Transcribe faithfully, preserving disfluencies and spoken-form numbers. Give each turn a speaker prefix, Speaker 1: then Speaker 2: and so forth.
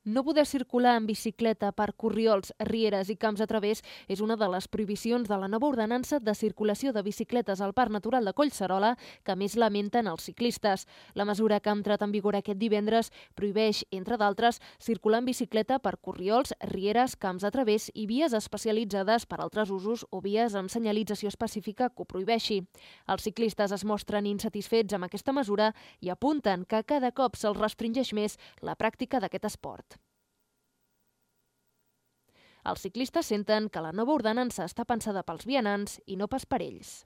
Speaker 1: No poder circular en bicicleta per corriols, rieres i camps a través és una de les prohibicions de la nova ordenança de circulació de bicicletes al Parc Natural de Collserola que més lamenten els ciclistes. La mesura que ha entrat en vigor aquest divendres prohibeix, entre d'altres, circular en bicicleta per corriols, rieres, camps a través i vies especialitzades per altres usos o vies amb senyalització específica que ho prohibeixi. Els ciclistes es mostren insatisfets amb aquesta mesura i apunten que cada cop se'ls restringeix més la pràctica d'aquest esport. Els ciclistes senten que la nova ordenança està pensada pels vianants i no pas per ells.